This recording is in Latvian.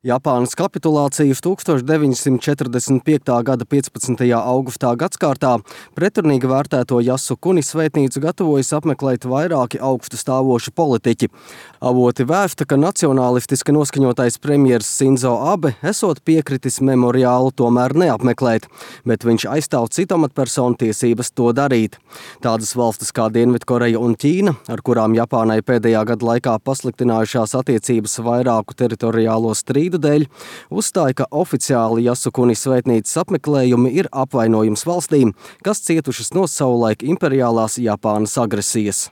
Japānas kapitulācija 1945. gada 15. augustā gadskārtā pretrunīgi vērtēto Jasukuni svētnīcu gatavojas apmeklēt vairāki augstu stāvoši politiķi. Avoti vēsta, ka nacionālistiski noskaņotais premjers Sinzo Abe esot piekritis memoriālu tomēr neapmeklēt, bet viņš aizstāv citu amatpersonu tiesības to darīt. Tādas valstis kā Dienvidkoreja un Ķīna, ar kurām Japānai pēdējā gada laikā pasliktinājušās attiecības vairāku teritoriālo strīdu dēļ, uzstāja, ka oficiāli Jasukuni svētnīcas apmeklējumi ir apvainojums valstīm, kas cietušas no savulaik imperiālās Japānas agresijas.